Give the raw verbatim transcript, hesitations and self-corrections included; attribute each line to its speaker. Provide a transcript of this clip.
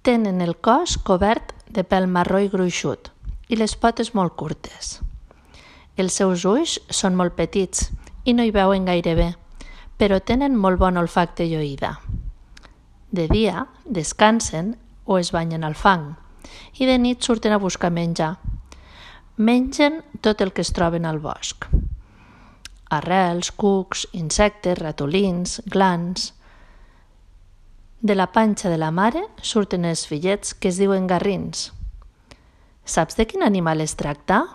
Speaker 1: Tenen el cos cobert de pèl marró i gruixut i les potes molt curtes. Els seus ulls són molt petits i no hi veuen gaire bé, però tenen molt bon olfacte i oïda. De dia descansen o es banyen al fang i de nit surten a buscar menjar. Mengen tot el que es troben al bosc. Arrels, cucs, insectes, ratolins, glans. De la panxa de la mare surten els fillets que es diuen garrins. Saps de quin animal es tracta?